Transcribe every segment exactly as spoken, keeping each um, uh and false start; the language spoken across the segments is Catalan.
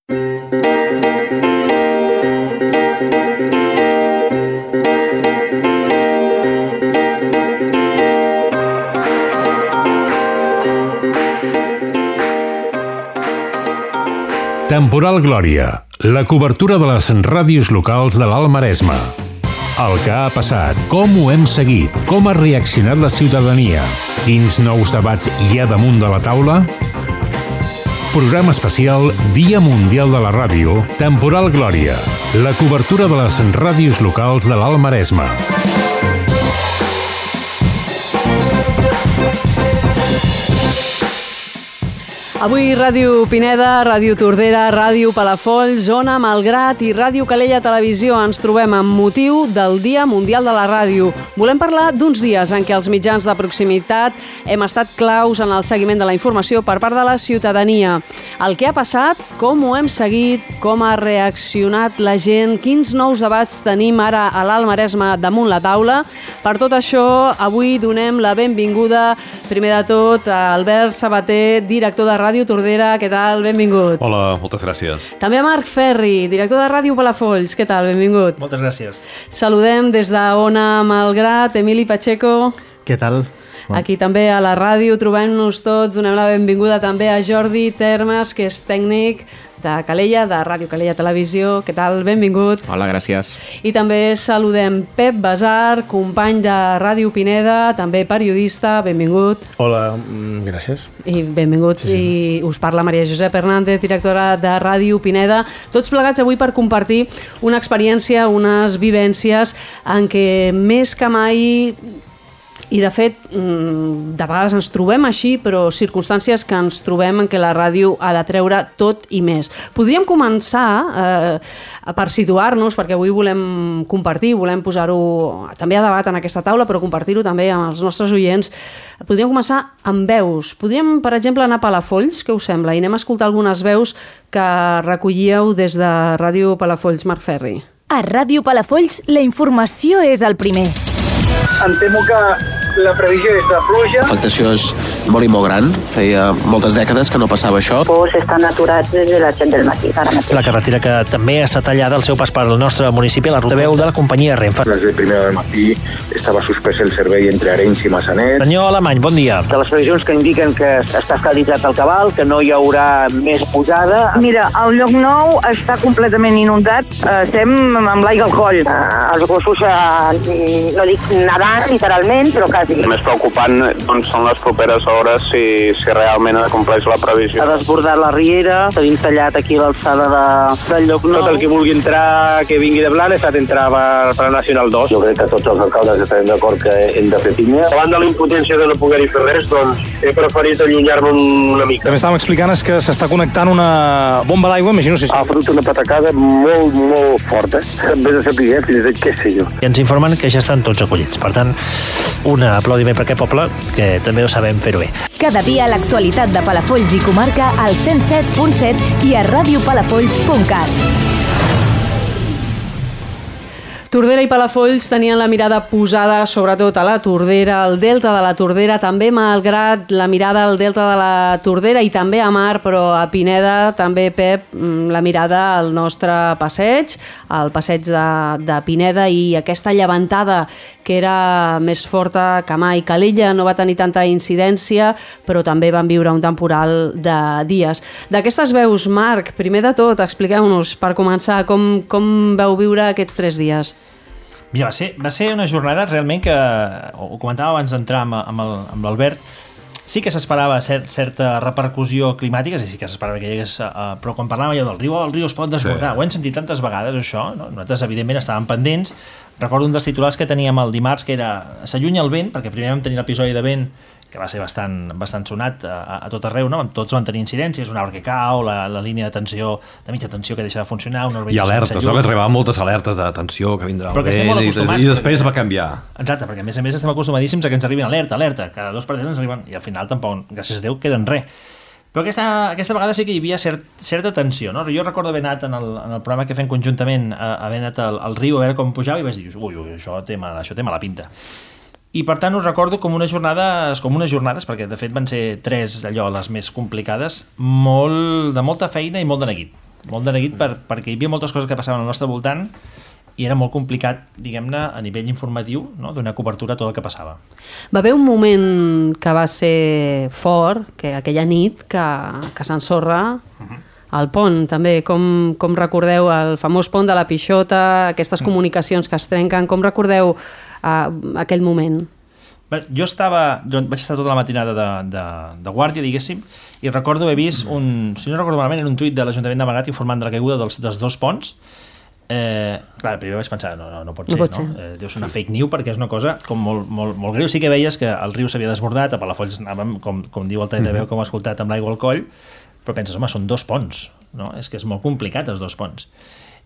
Temporal Glòria, la cobertura de les ràdios locals de l'Alt Maresme. El que ha passat, com ho hem seguit, com ha reaccionat la ciutadania, quins nous debats hi ha damunt de la taula? Programa especial Dia Mundial de la Ràdio, Temporal Glòria, la cobertura de les ràdios locals de l'Alt Maresme. Avui Ràdio Pineda, Ràdio Tordera, Ràdio Palafolls, Ona Malgrat i Ràdio Calella Televisió ens trobem amb motiu del Dia Mundial de la Ràdio. Volem parlar d'uns dies en què els mitjans de proximitat hem estat claus en el seguiment de la informació per part de la ciutadania. El que ha passat, com ho hem seguit, com ha reaccionat la gent, quins nous debats tenim ara a l'Alt Maresme damunt la taula. Per tot això, avui donem la benvinguda, primer de tot, a Albert Sabater, director de Ràdio Tordera. Què tal? Benvingut. Hola, moltes gràcies. També a Marc Ferri, director de Ràdio Palafolls. Què tal? Benvingut. Moltes gràcies. Saludem des d'Ona Malgrat, Emili Pacheco. Què tal? Aquí també a la ràdio, trobem-nos tots, donem la benvinguda també a Jordi Termes, que és tècnic de Calella, de Ràdio Calella Televisió. Què tal? Benvingut. Hola, gràcies. I també saludem Pep Basar, company de Ràdio Pineda, també periodista. Benvingut. Hola, gràcies. I benvinguts. Sí, sí. I us parla Maria Josep Hernández, directora de Ràdio Pineda. Tots plegats avui per compartir una experiència, unes vivències en què més que mai... I, de fet, de vegades ens trobem així, però circumstàncies que ens trobem en què la ràdio ha de treure tot i més. Podríem començar, eh, per situar-nos, perquè avui volem compartir, volem posar-ho també a debat en aquesta taula, però compartir-ho també amb els nostres oients. Podríem començar amb veus. Podríem, per exemple, anar a Palafolls, què us sembla? I anem a escoltar algunes veus que recollíeu des de Ràdio Palafolls. Marc Ferri. A Ràdio Palafolls la informació és el primer. Em temo que la previsió és de pluja. L'afectació és molt i molt gran. Feia moltes dècades que no passava això. Els estan aturats des de les set del matí, ara mateix. La carretera que també està tallada al seu pas per al nostre municipi, la ruta veu de la companyia Renfe. Des de primera del matí estava suspès el servei entre Arenys i Massanet. Senyor Alemany, bon dia. De les previsions que indiquen que està estabilitzat el cabal, que no hi haurà més pujada. Mira, el lloc nou està completament inundat. Estem amb l'aigua al coll. Els gossos, eh, no dic nedant, literalment, però quasi. El més preocupant doncs, són les properes hores si, si realment compleix la previsió. Ha desbordat la riera, tenim tallat aquí l'alçada de, del lloc nou. Tot el que vulgui entrar, que vingui de Blanes, ha d'entrar per, per la Nacional dos. Jo crec que tots els alcaldes estarem d'acord que hem de fer pinya. Davant de la impotència de no poder-hi fer res, doncs he preferit allunyar-me una mica. El que estàvem explicant és que s'està connectant una bomba d'aigua, imagino si... Ha fotut una patacada molt, molt forta. En vez de saber fins de què sé jo. I ens informen que ja estan tots acollits. Per tant, un aplaudiment per aquest poble, que també ho sabem fer-ho bé. Cada dia l'actualitat de Palafolls i comarca al cent set punt set i a ràdio palafolls punt cat. Tordera i Palafolls tenien la mirada posada sobretot a la Tordera, al delta de la Tordera, també malgrat la mirada al delta de la Tordera i també a Mar, però a Pineda també, Pep, la mirada al nostre passeig, al passeig de, de Pineda, i aquesta llevantada que era més forta que mai. Calella no va tenir tanta incidència, però també van viure un temporal de dies. D'aquestes veus, Marc, primer de tot, expliqueu-nos, per començar, com, com vau viure aquests tres dies? Mira, va ser, va ser una jornada realment que, ho comentava abans d'entrar amb, amb l'Albert, sí que s'esperava cert, certa repercussió climàtica, sí que s'esperava que hi hagués, uh, però quan parlàvem allò del riu, el riu es pot desbordar, sí. Ho hem sentit tantes vegades, això, no? Nosaltres evidentment estàvem pendents. Recordo un dels titulars que teníem el dimarts, que era s'allunya el vent, perquè primer vam tenir l'episodi de vent que va ser bastant, bastant sonat a, a tot arreu, no? Tots van tenir incidències, un arbre que cau, la, la línia de tensió, de mitja tensió que deixa de funcionar, una i alertes, no? Que arribaven moltes alertes de tensió, que vindrà el vent, i, i després perquè, va canviar. Exacte, perquè a més a més estem acostumadíssims a que ens arribin alerta, alerta, cada dos per tres ens arriben, i al final tampoc, gràcies a Déu, queden res. Però aquesta, aquesta vegada sí que hi havia cert, certa tensió, no? Jo recordo haver anat en el, en el programa que fem conjuntament, haver anat al, al riu a veure com pujava i vaig dir, ui, ui, això té mala, això té mala pinta. I per tant us recordo com unes jornades, com unes jornades, perquè de fet van ser tres allò, les més complicades, molt, de molta feina i molt de neguit. molt de neguit per, perquè hi havia moltes coses que passaven al nostre voltant i era molt complicat, diguem-ne, a nivell informatiu, no? Donar cobertura a tot el que passava. Va haver un moment que va ser fort, que aquella nit que, que s'ensorra uh-huh. el pont, també. Com, com recordeu el famós pont de la Pixota, aquestes uh-huh. comunicacions que es trenquen, com recordeu uh, aquell moment? Bé, jo estava, jo vaig estar tota la matinada de, de, de guàrdia, diguéssim, i recordo haver vist un, si no recordo malament, era un tuit de l'Ajuntament de Malgrat informant de la caiguda dels, dels dos ponts. Eh, clar, primer vaig pensar, no, no, no pot ser, no, pot ser. no? Eh, deu ser una fake news perquè és una cosa com molt, molt, molt greu. Sí que veies que el riu s'havia desbordat, a Palafolls anàvem, com, com diu el T V, com ha escoltat, amb l'aigua al coll, però penses, home, són dos ponts, no? És que és molt complicat, els dos ponts.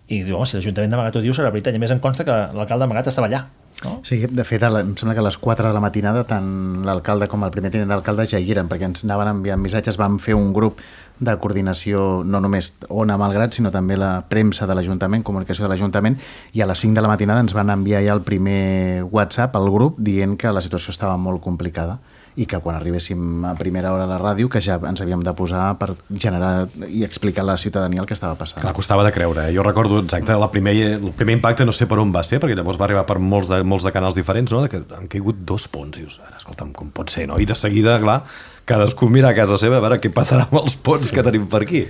I diu, home, si l'Ajuntament de Malgrat ho diu, serà veritat. I a més em consta que l'alcalde de Malgrat estava allà. No? Sí, de fet, em sembla que a les quatre de la matinada tant l'alcalde com el primer tinent d'alcalde ja hi eren, perquè ens anaven enviant missatges, vam fer un grup de coordinació, no només Ona Malgrat, sinó també la premsa de l'Ajuntament, comunicació de l'Ajuntament, i a les cinc de la matinada ens van enviar ja el primer WhatsApp al grup dient que la situació estava molt complicada i que quan arribéssim a primera hora a la ràdio que ja ens havíem de posar per generar i explicar a la ciutadania el que estava passant. Clar, costava de creure. Eh? Jo recordo exacte la primer, el primer impacte, no sé per on va ser, perquè llavors va arribar per molts de, molts de canals diferents, no? De que han caigut dos ponts. I dius, escolta'm, com pot ser, no? I de seguida, clar, cadascú mira a casa seva a veure què passarà amb els ponts que tenim per aquí.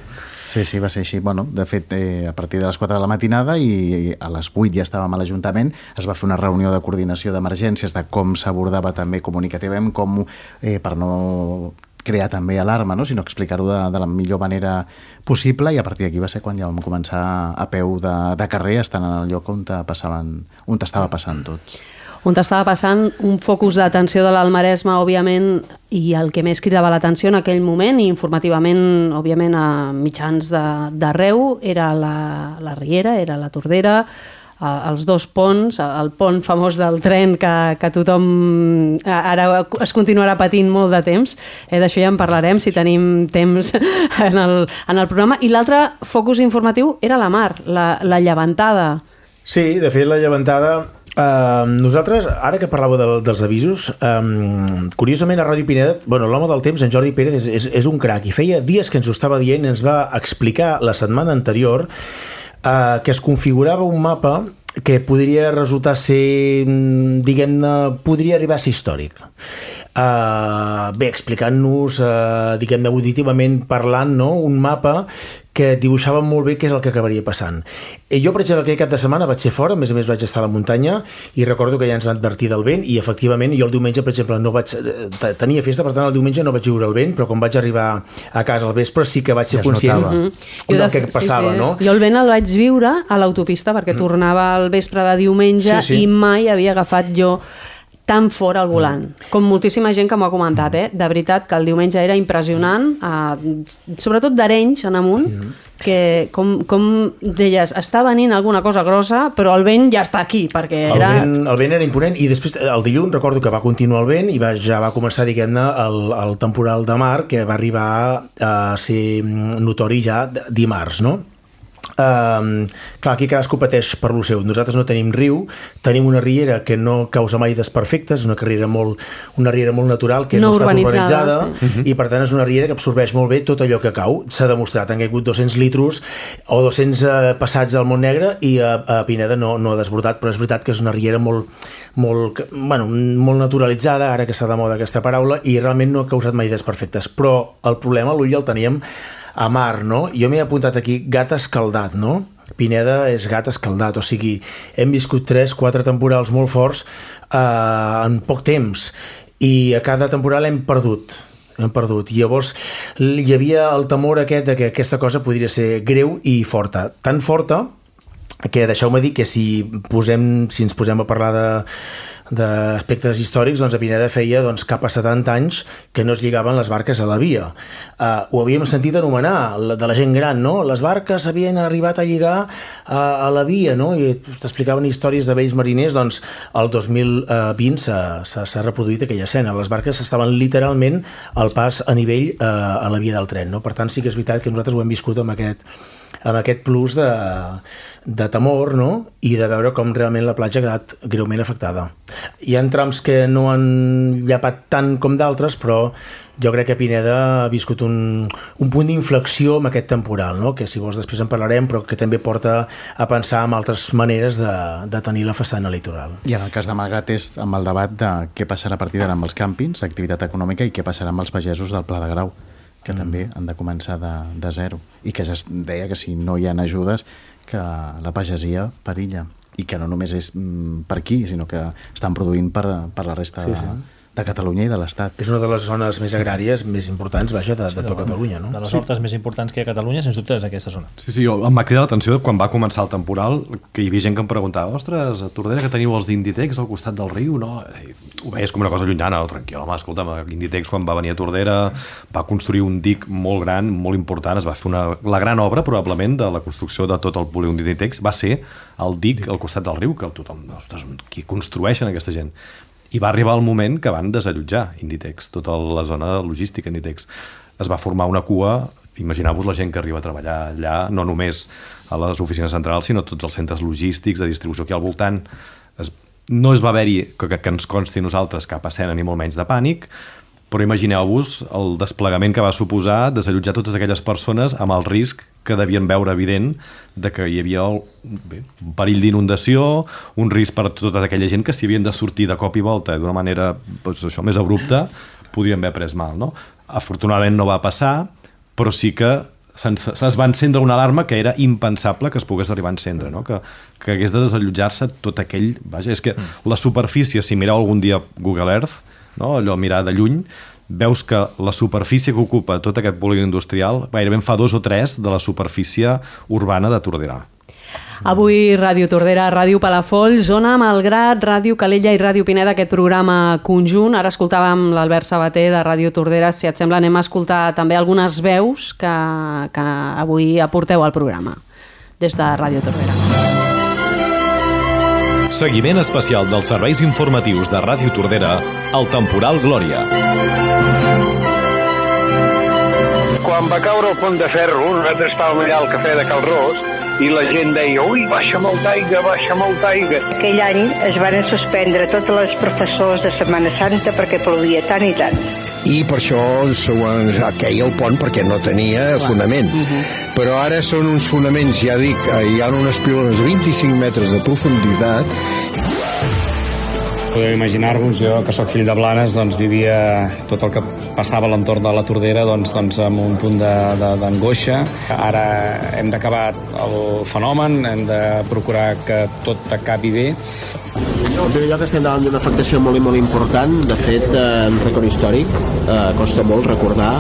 Sí, sí, va ser així. Bueno, de fet, eh, a partir de les quatre de la matinada i, i a les vuit ja estàvem a l'Ajuntament, es va fer una reunió de coordinació d'emergències de com s'abordava també comunicativament, com eh, per no crear també alarma, no? Sinó explicar-ho de, de la millor manera possible, i a partir d'aquí va ser quan ja vam començar a peu de, de carrer, estant en el lloc on, passaven, on estava passant tot. On estava passant un focus d'atenció de l'Alt Maresme, òbviament, i el que més cridava l'atenció en aquell moment, i informativament, òbviament, a mitjans d'arreu, era la, la Riera, era la Tordera, els dos ponts, el pont famós del tren que, que tothom ara es continuarà patint molt de temps, eh, d'això ja en parlarem si tenim temps en el, en el programa, i l'altre focus informatiu era la mar, la, la llevantada. Sí, de fet la llevantada... Uh, nosaltres, ara que parlàveu de, dels avisos, um, curiosament a Ràdio Pineda, bueno, l'home del temps, en Jordi Pérez, és, és, és un crac, i feia dies que ens ho estava dient, ens va explicar la setmana anterior uh, que es configurava un mapa que podria resultar ser, diguem-ne, podria arribar a ser històric. Uh, bé, explicant-nos, uh, diguem-ne, auditivament parlant, no? Un mapa que dibuixava molt bé què és el que acabaria passant. I jo, per exemple, aquell cap de setmana vaig ser fora, a més a més vaig estar a la muntanya, i recordo que ja ens van advertir del vent, i efectivament jo el diumenge, per exemple, no vaig tenia festa, per tant el diumenge no vaig viure el vent, però quan vaig arribar a casa al vespre sí que vaig ser ja conscient mm-hmm. del que passava, sí, sí. no? Jo el vent el vaig viure a l'autopista, perquè mm. tornava al vespre de diumenge sí, sí. i mai havia agafat jo tan fora al volant, mm. com moltíssima gent que m'ho ha comentat, eh? De veritat que el diumenge era impressionant, eh, sobretot d'Arenys en amunt, mm. que com, com deies, està venint alguna cosa grossa, però el vent ja està aquí, perquè era... El vent, el vent era imponent, i després el dilluns recordo que va continuar el vent i va, ja va començar, diguem-ne, el, el temporal de mar, que va arribar a ser notori ja dimarts, no? Um, clar, aquí cadascú pateix per lo seu. Nosaltres no tenim riu, tenim una riera que no causa mai desperfectes, una riera molt, una riera molt natural que no, no està urbanitzada, sí. i per tant és una riera que absorbeix molt bé tot allò que cau. S'ha demostrat, han caigut dos-cents litros o dos-cents eh, passats al Montnegre, i a, a Pineda no, no ha desbordat, però és veritat que és una riera molt, molt, bueno, molt naturalitzada, ara que està de moda aquesta paraula, i realment no ha causat mai desperfectes. Però el problema, l'ull el teníem a mar, no? Jo m'he apuntat aquí gat escaldat, no? Pineda és gat escaldat, o sigui, hem viscut tres, quatre temporals molt forts eh, en poc temps, i a cada temporal hem perdut, hem perdut. I llavors hi havia el temor aquest de que aquesta cosa podria ser greu i forta, tan forta que deixeu-me dir que si, posem, si ens posem a parlar de d'aspectes històrics, doncs a Pineda feia doncs, cap a setanta anys que no es lligaven les barques a la via. Uh, ho havíem sentit anomenar de la gent gran, no? Les barques havien arribat a lligar a, a la via, no? I t'explicaven històries de vells mariners. Doncs el dos mil vint s'ha reproduït aquella escena. Les barques estaven literalment al pas a nivell uh, a la via del tren, no? Per tant, sí que és veritat que nosaltres ho hem viscut amb aquest amb aquest plus de, de temor, no? I de veure com realment la platja ha quedat greument afectada. Hi ha trams que no han llapat tant com d'altres, però jo crec que Pineda ha viscut un, un punt d'inflexió amb aquest temporal, no? Que si vols després en parlarem, però que també porta a pensar en altres maneres de, de tenir la façana litoral. I en el cas de Malgrat és amb el debat de què passarà a partir d'ara amb els càmpings, activitat econòmica, i què passarà amb els pagesos del Pla de Grau, que mm. també han de començar de, de zero. I que ja es deia que si no hi ha ajudes, que la pagesia perilla. I que no només és mm, per aquí, sinó que estan produint per, per la resta sí, de, sí. de Catalunya i de l'Estat. És una de les zones més agràries més importants, vaja, de, de tota Catalunya, no? De les hortes sí. més importants que hi ha a Catalunya, sens dubte, és aquesta zona. Sí, sí, jo em va cridar l'atenció quan va començar el temporal, que hi havia gent que em preguntava, ostres, a Tordera que teniu els d'Inditex al costat del riu, no? I ho veies com una cosa llunyana, no? Tranquil, home, escolta'm, Inditex quan va venir a Tordera va construir un dic molt gran, molt important, es va fer una, la gran obra probablement de la construcció de tot el polígon d'Inditex va ser el dic al costat del riu, que tothom, ostres, qui construeixen aquesta gent? I va arribar el moment que van desallotjar Inditex, tota la zona logística Inditex. Es va formar una cua, imagineu-vos la gent que arriba a treballar allà, no només a les oficines centrals, sinó a tots els centres logístics de distribució aquí al voltant. Es, no es va haver-hi, que, que ens consti nosaltres, cap escena ni molt menys de pànic, però imagineu-vos el desplegament que va suposar desallotjar totes aquelles persones amb el risc que devien veure evident de que hi havia el, bé, un perill d'inundació, un risc per tota aquella gent que si havien de sortir de cop i volta d'una manera doncs, això, més abrupta, podien haver pres mal. No? Afortunadament no va passar, però sí que es va encendre una alarma que era impensable que es pogués arribar a encendre, no? que, que hagués de desallotjar-se tot aquell... Vaja, és que la superfície, si mireu algun dia Google Earth, no? Allò mirar de lluny, veus que la superfície que ocupa tot aquest polígon industrial gairebé en fa dos o tres de la superfície urbana de Tordera. Avui Ràdio Tordera, Ràdio Palafolls, Zona Malgrat, Ràdio Calella i Ràdio Pineda, aquest programa conjunt. Ara escoltàvem l'Albert Sabater de Ràdio Tordera. Si et sembla, anem a escoltar també algunes veus que, que avui aporteu al programa des de Ràdio Tordera. Seguiment especial dels serveis informatius de Ràdio Tordera al temporal Glòria. Quan va caure el pont de ferro, nosaltres estàvem allà al cafè de Cal Ros i la gent deia, ui, baixa molta aigua, baixa molta aigua. Aquell any es van suspendre tots els professors de Setmana Santa perquè plovia tant i tant. I per això queia el pont perquè no tenia fonament. Uh-huh. Però ara són uns fonaments, ja dic, hi ha unes pilones de vint-i-cinc metres de profunditat. Podeu imaginar-vos, jo que sóc fill de Blanes, doncs vivia tot el que passava a l'entorn de la Tordera doncs, doncs amb un punt d'angoixa. Ara hem d'acabar el fenomen, hem de procurar que tot acabi bé. En primer lloc estem davant d'una afectació molt i molt important, de fet, en rècord històric, eh, costa molt recordar.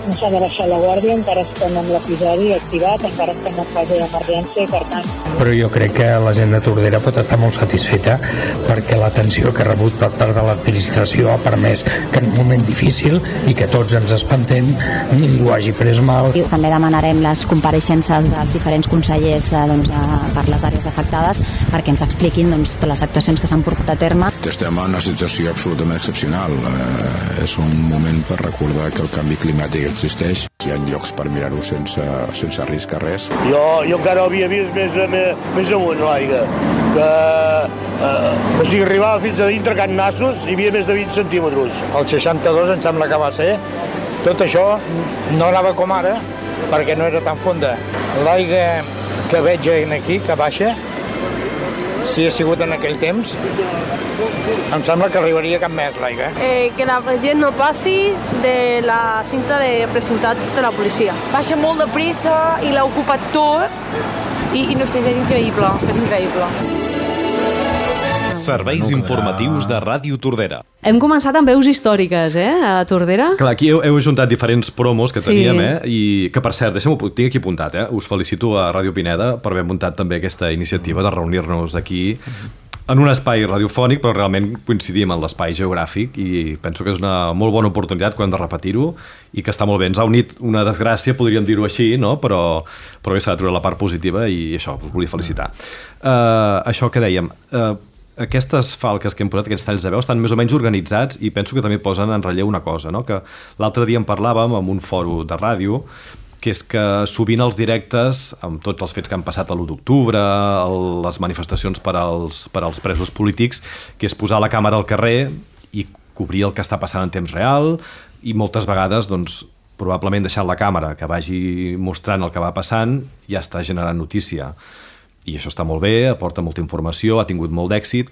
No s'ha de baixar la guàrdia, encara estem amb l'episodi activat, encara estem en fase d'emergència i per tant... Però jo crec que la gent de Tordera pot estar molt satisfeta perquè l'atenció que ha rebut per part de l'administració ha permès que en un moment difícil i que tots ens espantem ningú hagi pres mal. També demanarem les compareixences dels diferents consellers eh, doncs, per les àrees afectades perquè ens expliquin doncs, les actuacions que s'han portat a terme. Estem en una situació absolutament excepcional. Eh, és un moment per recordar que el canvi climàtic existeix. Hi ha llocs per mirar-ho sense, sense risc a res. Jo, jo encara havia vist més, més, més amunt l'aigua, que, eh, que si arribava fins a dintre Can Nassos hi havia més de vint centímetres. El seixanta-dos em sembla que va ser. Tot això no anava com ara, perquè no era tan fonda. L'aigua que veig aquí, que baixa, si ha sigut en aquell temps, em sembla que arribaria cap més l'aigua. Eh, que la gent no passi de la cinta de precintat de la policia. Baixa molt de pressa i l'ha ocupat tot i, i no sé, és increïble, és increïble. Serveis informatius de Ràdio Tordera. Hem començat amb veus històriques, eh, a Tordera. Clar, aquí heu, heu ajuntat diferents promos que sí. teníem, eh, i que per cert, deixem-ho, tinc aquí apuntat, eh, us felicito a Ràdio Pineda per haver muntat també aquesta iniciativa de reunir-nos aquí en un espai radiofònic, però realment coincidim en l'espai geogràfic i penso que és una molt bona oportunitat que hem de repetir-ho i que està molt bé. Ens ha unit una desgràcia, podríem dir-ho així, no? però, però bé, s'ha de treure la part positiva i això, us volia felicitar. Uh, això que dèiem... Uh, Aquestes falques que hem posat, aquests talls de veu, estan més o menys organitzats i penso que també posen en relleu una cosa, no? Que l'altre dia en parlàvem en un fòrum de ràdio que és que sovint els directes, amb tots els fets que han passat a l'u d'octubre, les manifestacions per als, per als presos polítics, que és posar la càmera al carrer i cobrir el que està passant en temps real, i moltes vegades, doncs, probablement deixant la càmera que vagi mostrant el que va passant ja està generant notícia. I això està molt bé, aporta molta informació, ha tingut molt d'èxit,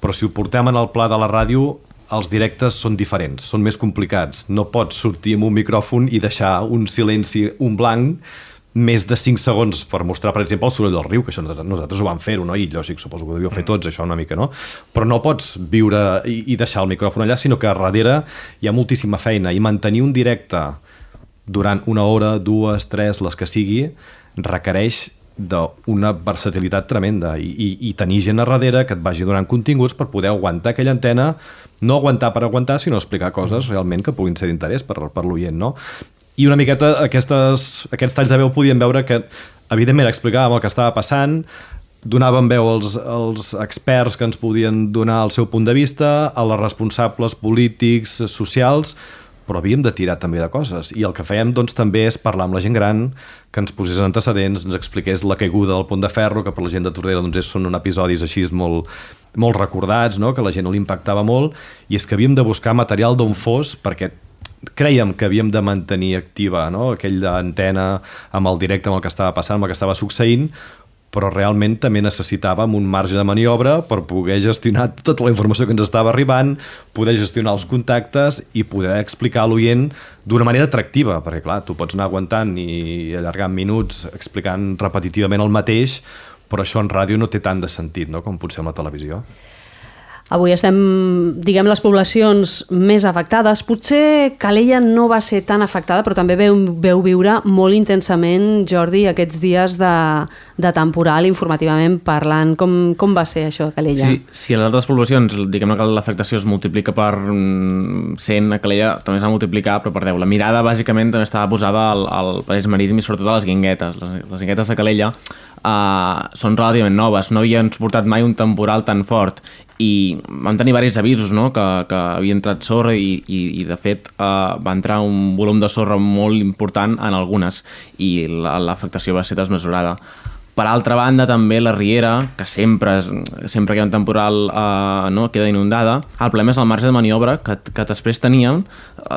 però si ho portem en el pla de la ràdio, els directes són diferents, són més complicats. No pots sortir amb un micròfon i deixar un silenci, un blanc, més de cinc segons per mostrar, per exemple, el soroll del riu, que això nosaltres ho vam fer-ho, no? I lògic, suposo que ho devíeu fer tots, això una mica, no? Però no pots viure i, i deixar el micròfon allà, sinó que a darrere hi ha moltíssima feina, i mantenir un directe durant una hora, dues, tres, les que sigui, requereix d'una versatilitat tremenda i, i, i tenir gent a darrere que et vagi donant continguts per poder aguantar aquella antena, no aguantar per aguantar, sinó explicar coses realment que puguin ser d'interès per, per l'oient, no? I una miqueta aquestes, aquests talls de veu podien veure que, evidentment, explicàvem el que estava passant, donàvem veu als, als experts que ens podien donar el seu punt de vista, a les responsables polítics, socials, però havíem de tirar també de coses. I el que fèiem doncs, també és parlar amb la gent gran, que ens posés antecedents, ens expliqués la caiguda del Pont de Ferro, que per la gent de Tordera doncs, són episodis així molt, molt recordats, no? Que la gent l'impactava molt, i és que havíem de buscar material d'on fos, perquè crèiem que havíem de mantenir activa, no? Aquella antena amb el directe, amb el que estava passant, amb el que estava succeint, però realment també necessitàvem un marge de maniobra per poder gestionar tota la informació que ens estava arribant, poder gestionar els contactes i poder explicar a l'oient d'una manera atractiva, perquè clar, tu pots anar aguantant i allargant minuts explicant repetitivament el mateix, però això en ràdio no té tant de sentit, no?, com potser en la televisió. Avui estem, diguem, les poblacions més afectades. Potser Calella no va ser tan afectada, però també veu, veu viure molt intensament, Jordi, aquests dies de, de temporal, informativament parlant. Com, com va ser això a Calella? Sí, si a les altres poblacions, diguem que l'afectació es multiplica per cent, a Calella també s'ha de multiplicar, però per deu. La mirada, bàsicament, també estava posada al, al París Marítim i sobretot a les Guinguetes. Les, les Guinguetes de Calella Uh, són relativament noves, no havien suportat mai un temporal tan fort i vam tenir diversos avisos, no?, que, que havia entrat sorra i, i, i de fet uh, va entrar un volum de sorra molt important en algunes i l'afectació va ser desmesurada. Per altra banda, també la Riera, que sempre, sempre que hi ha un temporal uh, no, queda inundada, el problema és el marge de maniobra que, que després teníem,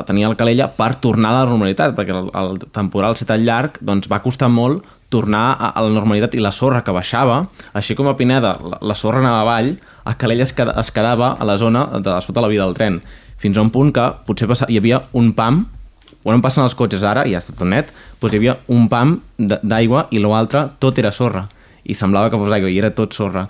tenia el Calella per tornar a la normalitat, perquè el, el temporal ser tan llarg doncs va costar molt tornar a, a la normalitat i la sorra que baixava, així com a Pineda la, la sorra anava avall, a Calella es, queda, es quedava a la zona de sota la via del tren, fins a un punt que potser passa, hi havia un pam, on passen els cotxes ara, i ja està tot net, doncs hi havia un pam d'aigua i l'altre tot era sorra, i semblava que fos aigua i era tot sorra.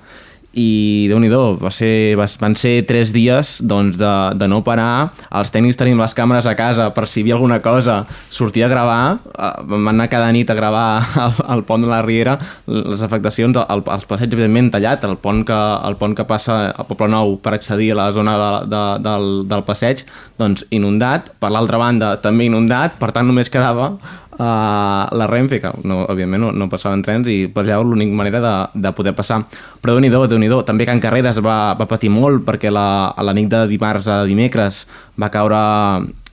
I Déu-n'hi-do, va ser, van ser tres dies doncs, de, de no parar, els tècnics tenim les càmeres a casa per si hi havia alguna cosa, sortir a gravar, vam anar cada nit a gravar al, al pont de la Riera, les afectacions, el, els passeigs evidentment tallat, el pont que, el pont que passa al Poble Nou per accedir a la zona de, de, del, del passeig, doncs inundat, per l'altra banda també inundat, per tant només quedava Uh, la Renfe, que no, òbviament no, no passaven trens i per allà l'única manera de, de poder passar. Però Déu-n'hi-do, Déu-n'hi-do. També Can Carreres va, va patir molt perquè la, a la nit de dimarts a dimecres va caure,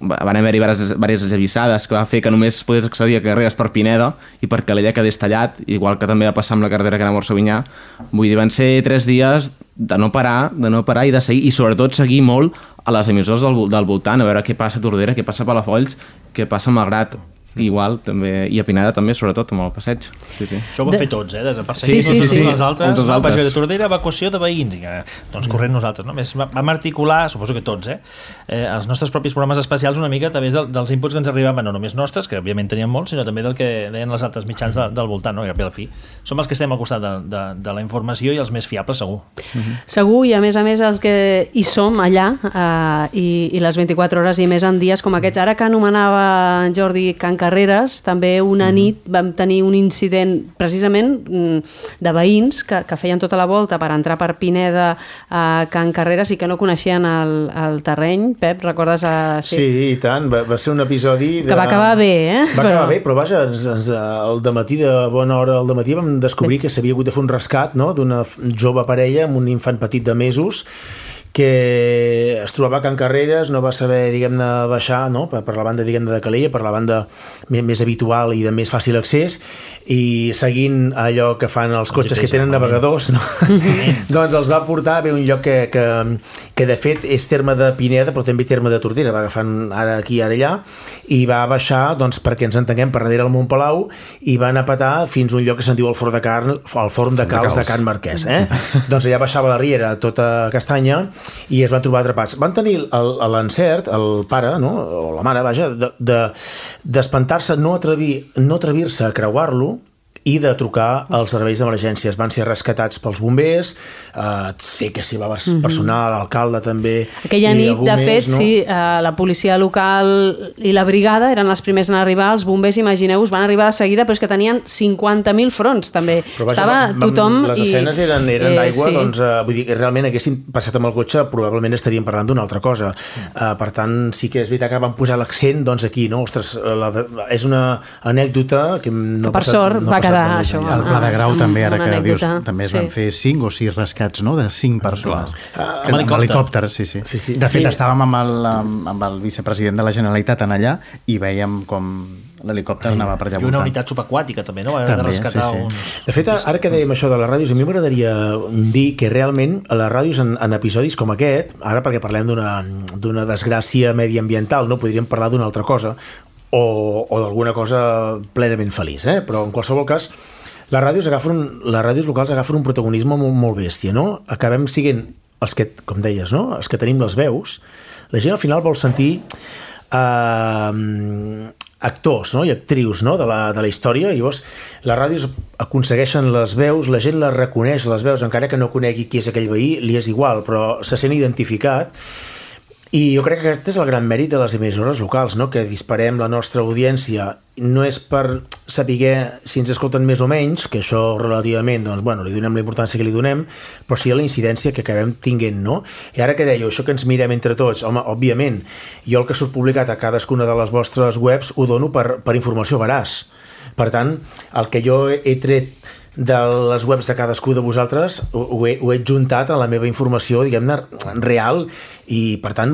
van haver-hi diverses esllavissades que va fer que només podés accedir a Carreres per Pineda i per Calella quedés tallat, igual que també va passar amb la carretera que anava a Orsavinyà. Vull dir, van ser tres dies de no parar, de no parar i de seguir, i sobretot seguir molt a les emissores del, del voltant, a veure què passa a Tordera, què passa a Palafolls, què passa a Malgrat. Igual, també, i a Pineda també, sobretot amb el passeig. Sí, sí. Això ho vam de... fer tots, eh? De passar sí, sí, sí, sí. Les altres, no, vaig veure Tordera, evacuació de veïns, i, doncs corrent nosaltres, no? Més vam articular, suposo que tots, eh? eh? Els nostres propis programes especials una mica a través del, dels inputs que ens arribaven, no només nostres, que òbviament teníem molts, sinó també del que deien els altres mitjans de, del voltant, no? I al fi som els que estem al costat de, de, de la informació i els més fiables, segur. Uh-huh. Segur, i a més a més els que hi som allà, eh, i, i les vint-i-quatre hores i més en dies com aquests, ara que anomenava Jordi Can Carreres, també una nit vam tenir un incident precisament de veïns que, que feien tota la volta per entrar per Pineda a Can Carreres i que no coneixien el, el terreny. Pep, recordes? A... Sí. sí, i tant. Va, va ser un episodi... De... Que va acabar bé, eh? Va acabar però... bé, però vaja, ens, ens, el dematí, de bona hora del dematí, vam descobrir sí. que s'havia hagut de fer un rescat, no?, d'una jove parella amb un infant petit de mesos que es trobava a Can Carreres, no va saber, diguem-ne, baixar, no?, per, per la banda, diguem-ne, de Calella, per la banda més, més habitual i de més fàcil accés, i seguint allò que fan els cotxes que tenen navegadors, no? Doncs els va portar a un lloc que, que, que de fet és terme de Pineda, però també terme de Tordera, va agafant ara aquí, ara allà, i va baixar, doncs, perquè ens entenguem, per darrere el Montpalau, i van a petar fins a un lloc que se'n diu el Forn de Carn, el Forn de Calç de Can Marquès, eh? Doncs allà baixava la riera tota castanya i es van trobar atrapats. Van tenir l'encert, el pare, no?, o la mare, vaja, d'espantar-se, de, de, no atrevir, no atrevir-se a creuar-lo i de trucar als serveis d'emergències. Van ser rescatats pels bombers, eh, sé que s'hi va personal, l'alcalde també. Aquella nit, de fet, no? sí, eh, la policia local i la brigada eren les primers en arribar, els bombers, imagineu-vos, van arribar de seguida, però és que tenien cinquanta mil fronts, també. Però vaja, Estava vam, tothom... Les i... escenes eren, eren d'aigua, eh, sí. doncs, eh, vull dir, realment haguessin passat amb el cotxe, probablement estaríem parlant d'una altra cosa. Eh, per tant, sí que és veritat que van posar l'accent, doncs, aquí, no? Ostres, la, és una anècdota que no que per passat, sort no va quedar això. El Pla de Grau també, ara que dius, també es van sí. fer cinc o sis rescats, no?, de cinc persones. Ah, amb helicòpter, sí, sí. sí, sí. De fet, sí. estàvem amb el, amb el vicepresident de la Generalitat en allà i veiem com l'helicòpter anava per allà voltant. I una unitat subaquàtica també, no? Va haver de rescatar sí, sí. Un... De fet, ara que dèiem això de les ràdios, a mi m'agradaria dir que realment a les ràdios en, en episodis com aquest, ara perquè parlem d'una desgràcia mediambiental, no podríem parlar d'una altra cosa, o, o d'alguna cosa plenament feliç, eh? Però en qualsevol cas les ràdios, agafen, les ràdios locals agafen un protagonisme molt, molt bèstia, no? Acabem siguent els que, com deies, no?, els que tenim les veus. La gent al final vol sentir eh, actors, no?, i actrius, no?, de la, de la història, i llavors les ràdios aconsegueixen les veus, la gent les reconeix, les veus, encara que no conegui qui és aquell veí, li és igual, però se sent identificat. I jo crec que aquest és el gran mèrit de les emissores locals, no?, que disparem la nostra audiència. No és per saber si ens escolten més o menys, que això relativament, doncs, bueno, li donem la importància que li donem, però sí a la incidència que acabem tinguent, no? I ara que dèieu, això que ens mirem entre tots, home, òbviament, jo el que surt publicat a cadascuna de les vostres webs ho dono per, per informació veraç. Per tant, el que jo he tret de les webs de cadascú de vosaltres ho he, ho he juntat a la meva informació, diguem-ne, real, i per tant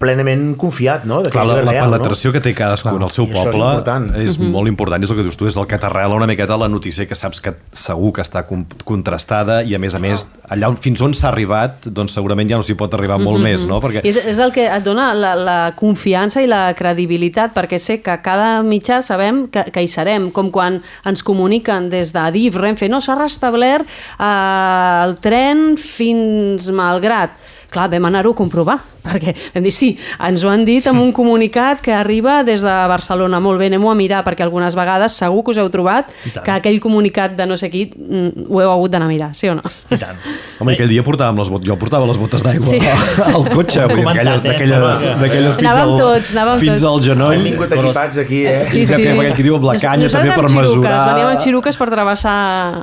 plenament confiat, no? De que clar, la, la real, penetració, no?, que té cadascú en el seu poble és, important. és uh-huh. molt important, és el que dius tu, és el que t'arrela una miqueta la notícia que saps que segur que està contrastada i a més a més allà on, fins on s'ha arribat, doncs segurament ja no s'hi pot arribar molt uh-huh. més, no? Perquè... És, és el que et dona la, la confiança i la credibilitat, perquè sé que cada mitjà sabem que, que hi serem, com quan ens comuniquen des de Adif, Renfe, no, s'ha restablert eh, el tren fins Malgrat. Clar, vam anar-ho a comprovar, perquè vam dir, sí, ens ho han dit amb un comunicat que arriba des de Barcelona. Molt bé, anem-ho a mirar, perquè algunes vegades segur que us heu trobat que aquell comunicat de no sé qui ho heu hagut d'anar a mirar, sí o no? I tant. Home, aquell dia portàvem les botes, jo portava les botes d'aigua sí. al cotxe, vull dir, d'aquelles fins, anàvem tots, anàvem fins tots. al genoll. Hem vingut equipats aquí, eh? Sí, sí. Aquell que diu amb la canya també per mesurar. Veníem amb xiruques per travessar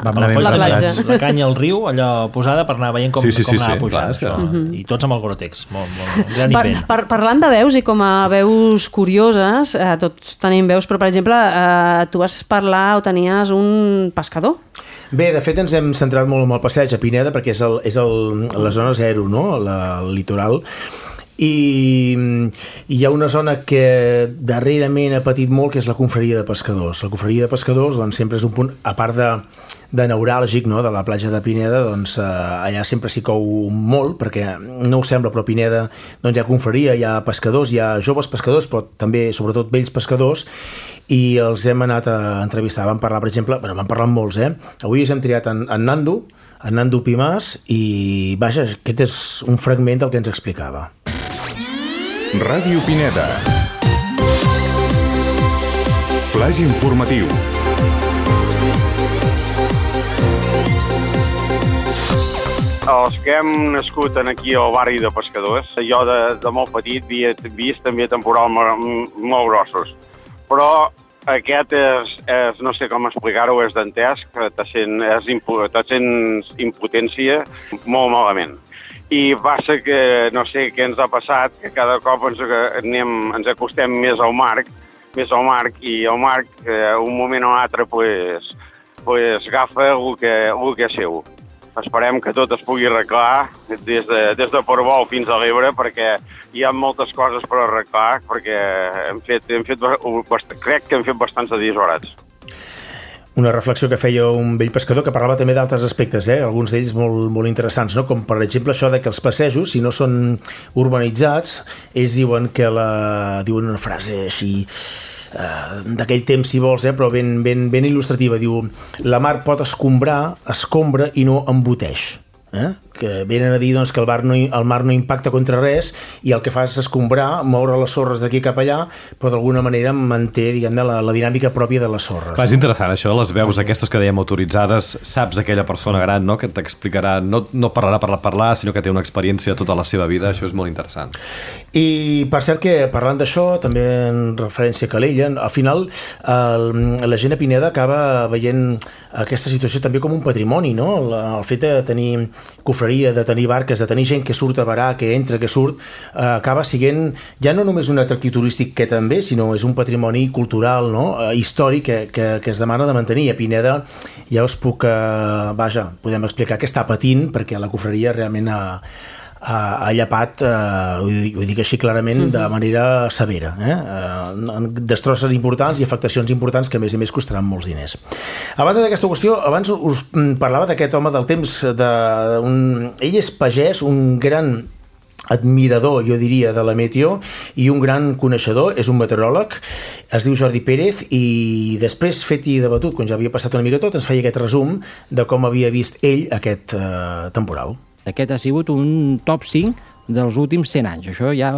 la platja. La canya al riu, allò posada per anar veient com, sí, sí, com sí, anava sí, pujant. clar, Això. Uh-huh. I tots amb el Gore-Tex. Molt, molt, gran per, invent. per, parlant de veus i com a veus curioses, eh, tots tenim veus, però per exemple, eh, tu vas parlar o tenies un pescador? Bé, de fet ens hem centrat molt en el passeig a Pineda perquè és, el, és el, la zona zero, no?, la, el litoral. I hi ha una zona que darrerament ha patit molt, que és la confraria de pescadors. La confraria de pescadors, doncs, sempre és un punt, a part de, de neuràlgic, no?, de la platja de Pineda, doncs eh, allà sempre s'hi cou molt, perquè no ho sembla, però a Pineda doncs, hi ha confraria, hi ha pescadors, hi ha joves pescadors, però també, sobretot, vells pescadors, i els hem anat a entrevistar. Vam parlar, per exemple, bueno, vam parlar amb molts, eh? Avui ens hem triat en, en Nando, en Nando Pimàs, i vaja, aquest és un fragment del que ens explicava. Ràdio Pineda. Flaix informatiu. Els que hem nascut aquí al barri de pescadors, jo de, de molt petit havia vist també temporals molt grossos, però aquest és, és no sé com explicar-ho, és dantesc, te sent, és impu, te sents impotència molt malament. I passa que no sé què ens ha passat, que cada cop ens, anem, ens acostem més al mar, més al mar, i el mar, eh, un moment o altre, pues, pues, agafa el que, el que és seu. esperem que tot es pugui arreglar des de, des de Portbou fins a l'Ebre, perquè hi ha moltes coses per arreglar, perquè hem fet, hem fet, crec que hem fet bastants disbarats. Una reflexió que feia un vell pescador que parlava també d'altres aspectes, eh? Alguns d'ells molt, molt interessants, no? Com per exemple això de que els passejos, si no són urbanitzats, ells diuen que la... diuen una frase així... Uh, d'aquell temps, si vols, eh, però ben, ben, ben il·lustrativa. Diu, la mar pot escombrar, escombra i no emboteix. Eh? Que venen a dir doncs, que el mar, no, el mar no impacta contra res i el que fa és escombrar, moure les sorres d'aquí cap allà, però d'alguna manera manté, diguem, la, la dinàmica pròpia de les sorres. Clar, és interessant això, les veus aquestes que dèiem autoritzades, saps aquella persona gran, no?, que t'explicarà, no, no parlarà per parlar, sinó que té una experiència tota la seva vida, això és molt interessant. I per cert que, parlant d'això, també en referència a Calella, al final el, la gent a Pineda acaba veient aquesta situació també com un patrimoni, no? El, el fet de tenir cofreria, de tenir barques, de tenir gent que surt a varar, que entra, que surt, eh, acaba sent ja no només un atractiu turístic que també, sinó és un patrimoni cultural, no?, eh, històric que, que, que es demana de mantenir. A Pineda ja us puc, eh, vaja, podem explicar que està patint perquè la cofreria realment ha, ha, ha llapat, eh, ho, dic, ho dic així clarament, de manera severa. Eh? Eh, destrosses importants i afectacions importants que a més a més costaran molts diners. A banda d'aquesta qüestió, abans us parlava d'aquest home del temps, de, un, ell és pagès, un gran admirador, jo diria, de la meteo i un gran coneixedor, és un meteoròleg, es diu Jordi Pérez, i després, fet i debatut, quan ja havia passat una mica tot, ens feia aquest resum de com havia vist ell aquest eh, temporal. Aquest ha sigut un top cinc dels últims cent anys, això ja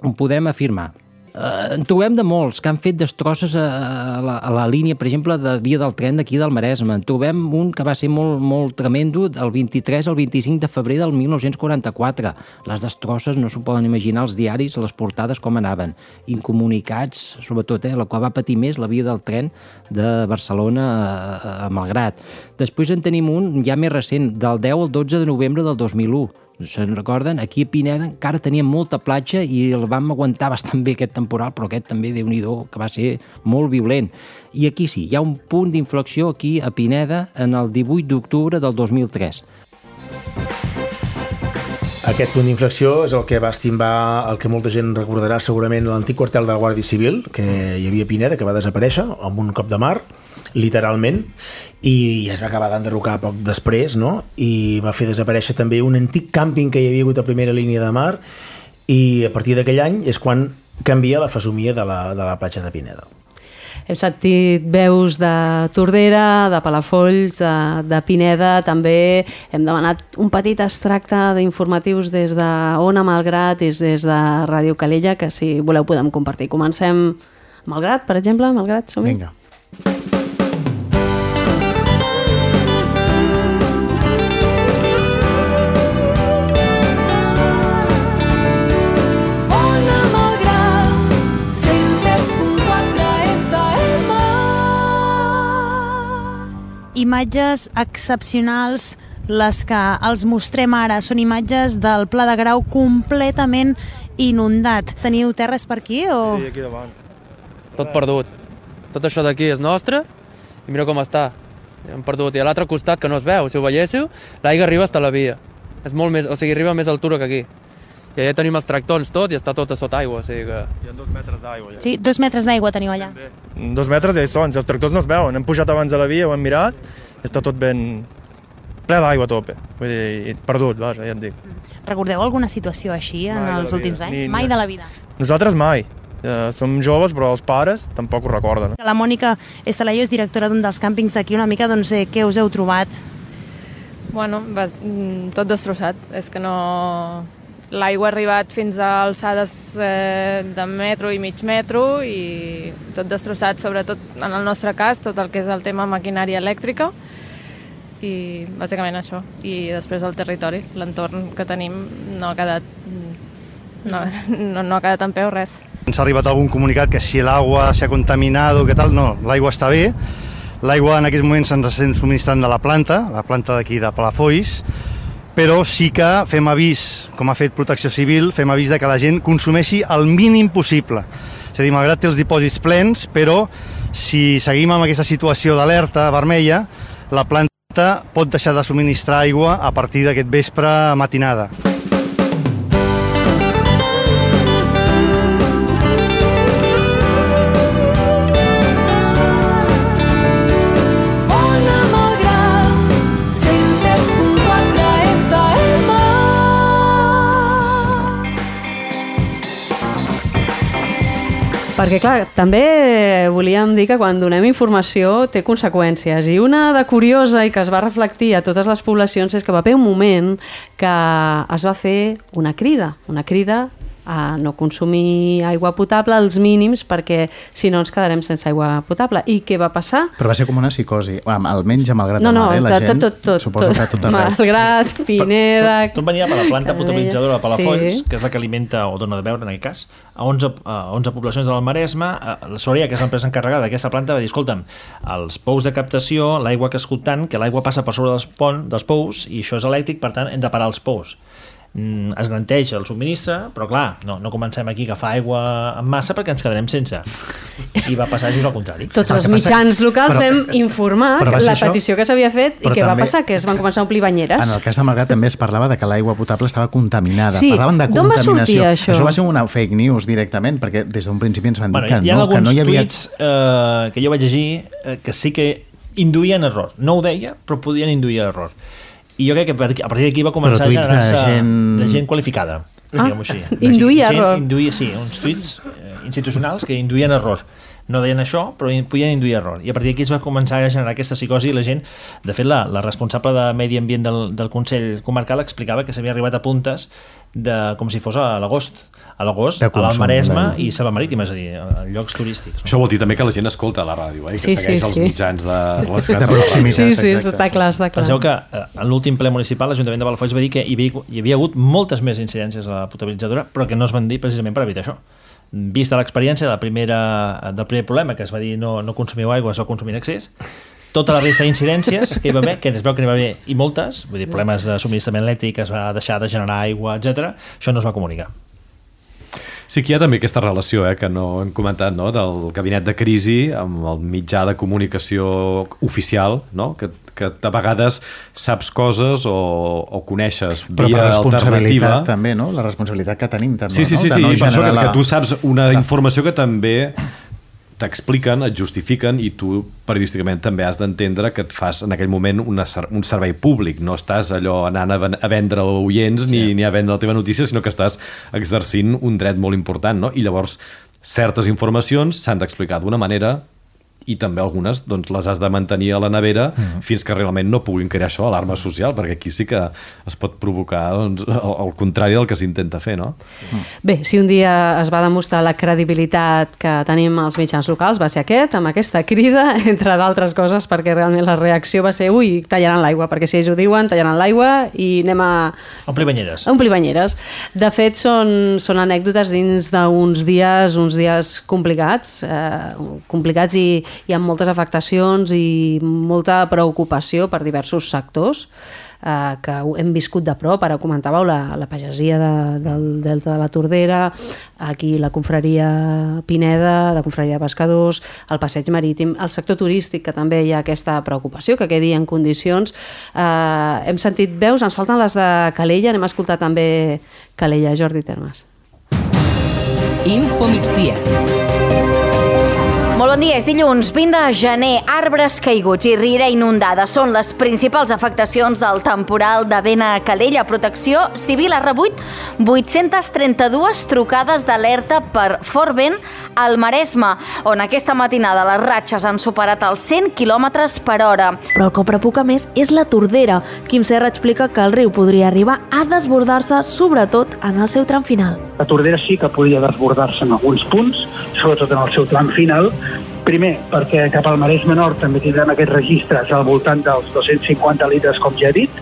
ho podem afirmar. Eh, en trobem de molts que han fet destrosses a, a, la, a la línia, per exemple, de via del tren d'aquí del Maresme. En trobem un que va ser molt, molt tremendo el vint-i-tres al vint-i-cinc de febrer del mil nou-cents quaranta-quatre. Les destrosses no s'ho poden imaginar, els diaris, les portades com anaven. Incomunicats, sobretot, eh, la qual va patir més la via del tren de Barcelona a, a Malgrat. Després en tenim un ja més recent, del deu al dotze de novembre del dos mil u. Se'n recorden? Aquí a Pineda encara teníem molta platja i el vam aguantar bastant bé aquest temporal, però aquest també, Déu-n'hi-do, que va ser molt violent. I aquí sí, hi ha un punt d'inflexió aquí a Pineda en el divuit d'octubre del dos mil tres. Aquest punt d'inflexió és el que va estimbar, el que molta gent recordarà segurament, l'antic quartel de la Guàrdia Civil, que hi havia a Pineda, que va desaparèixer amb un cop de mar, literalment, i es va acabar d'enderrocar poc després, no? I va fer desaparèixer també un antic càmping que hi havia hagut a primera línia de mar, i a partir d'aquell any és quan canvia la fesomia de la, de la platja de Pineda. Hem sentit veus de Tordera, de Palafolls, de, de Pineda, també hem demanat un petit extracte d'informatius des de Ona Malgrat i des de Ràdio Calella, que si voleu podem compartir. Comencem Malgrat, per exemple, Malgrat, som-hi? Vinga. Imatges excepcionals les que els mostrem ara. Són imatges del Pla de Grau completament inundat. Teniu terres per aquí? O... Sí, aquí davant. Tot perdut. Tot això d'aquí és nostre i mira com està. Hem perdut. I a l'altre costat, que no es veu, si ho veiéssiu, l'aigua arriba fins a la via. És molt més, o sigui, arriba a més altura que aquí. I allà tenim els tractons tot i està tot a sota aigua. O sigui que... Hi ha dos metres d'aigua. Ja. Sí, dos metres d'aigua teniu allà. Dos metres ja hi són, si els tractors no es veuen. Hem pujat abans de la via, ho hem mirat, està tot ben ple d'aigua a tope. Vull dir, perdut, vaja, ja et dic. Recordeu alguna situació així en mai els últims anys? Ni, mai de la vida? Nosaltres mai. Uh, som joves, però els pares tampoc ho recorden. La Mònica Estalayo és directora d'un dels càmpings d'aquí. Una mica, doncs, eh, què us heu trobat? Bueno, va, tot destrossat. És que no... L'aigua ha arribat fins a alçades eh, de metro i mig metro i tot destrossat, sobretot en el nostre cas, tot el que és el tema maquinària elèctrica i bàsicament això. I després el territori, l'entorn que tenim no ha quedat, no, no, no ha quedat en peu res. Ens ha arribat algun comunicat que si l'aigua s'ha contaminat o què tal, no, l'aigua està bé. L'aigua en aquests moments ens estem subministrant de la planta, la planta d'aquí de Palafolls, però sí que fem avís, com ha fet Protecció Civil, fem avís de que la gent consumeixi el mínim possible. És a dir, malgrat té els dipòsits plens, però si seguim amb aquesta situació d'alerta vermella, la planta pot deixar de subministrar aigua a partir d'aquest vespre matinada. Perquè, clar, també volíem dir que quan donem informació té conseqüències. I una de curiosa i que es va reflectir a totes les poblacions és que va haver un moment que es va fer una crida, una crida a no consumir aigua potable als mínims perquè si no ens quedarem sense aigua potable. I què va passar? Però va ser com una psicosi, almenys a Malgrat no, no, de Mar, eh? La gent, tot, tot, suposo tot, que tot arreu. Malgrat, Pineda... Tot, tot venia per la planta potabilitzadora de Palafolls, sí. que és la que alimenta, o dona de beure en aquest cas, a onze, a onze poblacions de l'Almaresme. La Soria, que és l'empresa encarregada d'aquesta planta, va dir, escolta'm, els pous de captació, l'aigua que escoltant, que l'aigua passa per sobre dels, pont, dels pous, i això és elèctric, per tant, hem de parar els pous. Es garanteix el subministre, però clar, no, no comencem aquí a agafar aigua en massa perquè ens quedarem sense. I va passar just al contrari. Tots els mitjans locals però, vam informar la això, petició que s'havia fet i què també, va passar? Que es van començar a omplir banyeres. En el cas de Malgrat també es parlava de que l'aigua potable estava contaminada. Sí, Parlaven de d'on va contaminació. sortir això? Això va ser una fake news directament, perquè des d'un principi ens van dir bueno, que, hi ha no, que no hi havia... tuits eh, que jo vaig llegir eh, que sí que induïen error. No ho deia, però podien induir error. I jo crec que a partir d'aquí va començar a generar-se de, gent... de gent qualificada. Ah, així. induïa gent, error. Induïa, sí, uns tuits eh, institucionals que induïen error. No deien això, però podien induir error. I a partir d'aquí es va començar a generar aquesta psicosi i la gent, de fet, la, la responsable de Medi Ambient del, del Consell Comarcal explicava que s'havia arribat a puntes de, com si fos a l'agost. A l'agost, a l'Almaresme i Selva Marítima, és a dir, a llocs turístics. Això vol dir també que la gent escolta la ràdio, eh? I que sí, segueix sí, els sí. mitjans de, de, de proximitat. Sí, sí, està clar, està clar. Penseu que en l'últim ple municipal l'Ajuntament de Palafolls va dir que hi havia, hi havia hagut moltes més incidències a la potabilitzadora, però que no es van dir precisament per evitar això. Vista l'experiència de la primera, del primer problema, que es va dir no, no consumiu aigua, es va consumir en excés, tota la resta d'incidències que hi va haver, que es veu que n'hi va haver i moltes, vull dir, problemes de subministrament elèctric, es va deixar de generar aigua, etcètera, això no es va comunicar. Sí que hi ha també aquesta relació, eh, que no hem comentat, no?, del gabinet de crisi amb el mitjà de comunicació oficial, no?, que, que a vegades saps coses o, o coneixes via alternativa. Però per responsabilitat també, no?, la responsabilitat que tenim també, sí, sí, sí, no? sí, no sí, per això que, la... que tu saps una la... informació que també t'expliquen, et justifiquen i tu periodísticament també has d'entendre que et fas en aquell moment una, un servei públic, no estàs allò anant a, a vendre oients ni, sí. ni a vendre la teva notícia, sinó que estàs exercint un dret molt important, no? I llavors certes informacions s'han d'explicar d'una manera i també algunes doncs, les has de mantenir a la nevera mm. fins que realment no puguin crear això, alarma social, perquè aquí sí que es pot provocar doncs, el, el contrari del que s'intenta fer, no? Mm. Bé, si un dia es va demostrar la credibilitat que tenim als mitjans locals va ser aquest, amb aquesta crida, entre d'altres coses, perquè realment la reacció va ser ui, tallaran l'aigua, perquè si ells ho diuen, tallaran l'aigua i anem a... Omplir banyeres. Omplir banyeres. De fet, són, són anècdotes dins d'uns dies, uns dies complicats, eh, complicats i hi ha moltes afectacions i molta preocupació per diversos sectors eh, que hem viscut de prop. Ara comentàveu la, la pagesia de, del Delta de la Tordera, aquí la confraria Pineda, la confraria de pescadors, el passeig marítim, el sector turístic, que també hi ha aquesta preocupació, que quedi en condicions. Eh, hem sentit veus, ens falten les de Calella, anem a escoltar també Calella, Jordi Termes. Info migdia. Molt bon dia, és dilluns vint de gener. Arbres caiguts i riera inundada són les principals afectacions del temporal de vent a Calella. Protecció Civil ha rebut vuit-centes trenta-dues trucades d'alerta per fort vent al Maresme, on aquesta matinada les ratxes han superat els cent quilòmetres per hora. Però el que preocupa més és la Tordera. Quim Serra explica que el riu podria arribar a desbordar-se, sobretot en el seu tram final. La Tordera sí que podia desbordar-se en alguns punts, sobretot en el seu tram final. Primer, perquè cap al Maresme Nord també tindrem aquests registres al voltant dels dos-cents cinquanta litres, com ja he dit,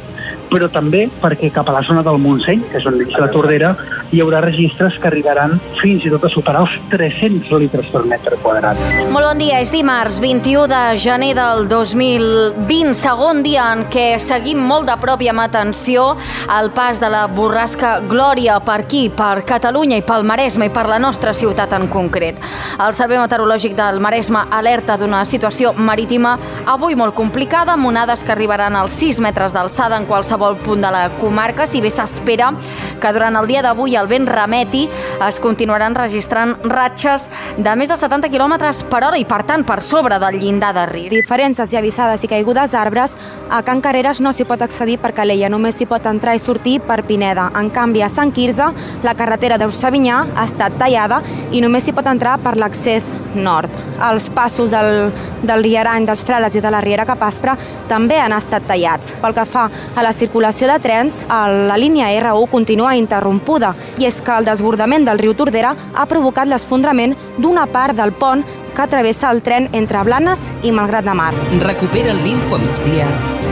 però també perquè cap a la zona del Montseny, que és on és la Tordera, hi haurà registres que arribaran fins i tot a superar els tres-cents litres per metre quadrat. Molt bon dia, és dimarts vint-i-u de gener del dos mil vint, segon dia en què seguim molt de prop i amb atenció el pas de la borrasca Glòria per aquí, per Catalunya i pel Maresme i per la nostra ciutat en concret. El Servei Meteorològic del Maresme alerta d'una situació marítima avui molt complicada, amb onades que arribaran als sis metres d'alçada en qualsevol punt de la comarca, si bé s'espera que durant el dia d'avui el vent remeti, es continuaran registrant ratxes de més de setanta quilòmetres per hora i, per tant, per sobre del llindar de risc. Diferències i avisades i caigudes d'arbres, a Can Carreres no s'hi pot accedir per Calella, només s'hi pot entrar i sortir per Pineda. En canvi, a Sant Quirze, la carretera d'Eusebinyà ha estat tallada i només s'hi pot entrar per l'accés nord. Els passos del, del Riarany, dels Frares i de la Riera Capaspra també han estat tallats. Pel que fa a la circulació de trens, la línia erre u continua interrompuda i és que el desbordament del riu Tordera ha provocat l'esfondrament d'una part del pont que travessa el tren entre Blanes i Malgrat de Mar. Recupera l'Info Migdia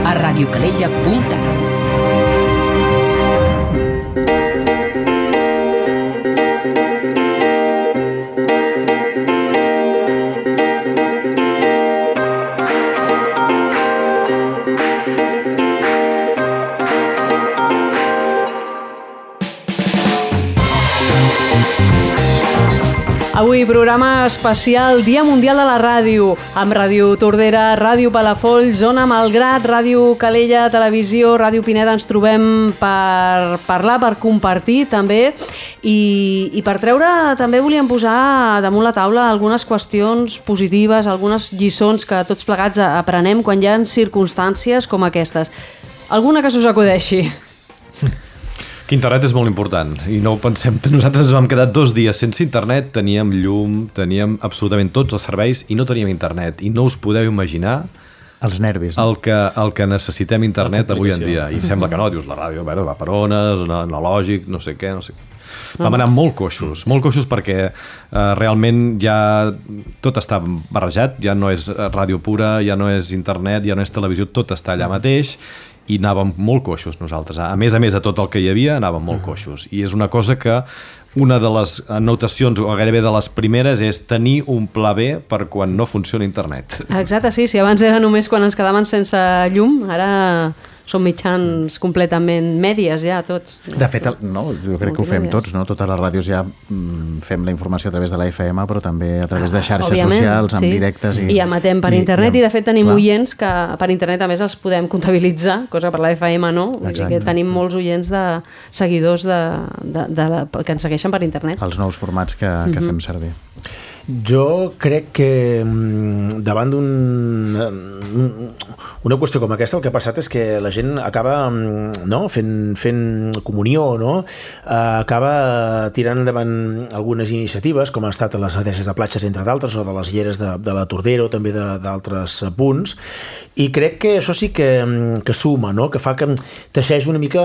a radiocalella punt cat. Avui programa especial Dia Mundial de la Ràdio, amb Ràdio Tordera, Ràdio Palafolls, Ona Malgrat, Ràdio Calella, Televisió, Ràdio Pineda. Ens trobem per parlar, per compartir també i, i per treure també volíem posar damunt la taula algunes qüestions positives, algunes lliçons que tots plegats aprenem quan hi ha circumstàncies com aquestes. Alguna que s'us acudeixi? Que internet és molt important i no ho pensem. Nosaltres ens vam quedar dos dies sense internet, teníem llum, teníem absolutament tots els serveis i no teníem internet. I no us podeu imaginar els nervis, no? el, que, el que necessitem internet avui en dia. I sembla que no, dius, la ràdio bueno, va per ones, analògic, no sé què, no sé què. Vam anar molt coixos, molt coixos perquè eh, realment ja tot està barrejat, ja no és ràdio pura, ja no és internet, ja no és televisió, tot està allà mateix i anàvem molt coixos nosaltres. A més a més de tot el que hi havia, anàvem molt coixos. I és una cosa que una de les anotacions, o gairebé de les primeres, és tenir un pla B per quan no funciona internet. Exacte, sí. Si abans era només quan ens quedaven sense llum, ara són mitjans completament mèdies ja, tots. De fet, el, no, jo crec que ho fem tots, no? Totes les ràdios ja mm, fem la informació a través de la F M, però també a través de xarxes Òbviament, socials, amb sí. directes. I, I emetem per i, internet, i, i de fet tenim clar. oients que per internet a més els podem comptabilitzar, cosa per la F M no. Vull dir que tenim molts oients de seguidors de, de, de la, que ens segueixen per internet. Els nous formats que, que mm-hmm. fem servir. Jo crec que davant d'un una qüestió com aquesta el que ha passat és que la gent acaba no, fent, fent comunió, no? Acaba tirant endavant algunes iniciatives com han estat les adheses de platges entre d'altres o de les lleres de, de la Tordera o també d'altres punts, i crec que això sí que, que suma, no? Que fa que teixeix una mica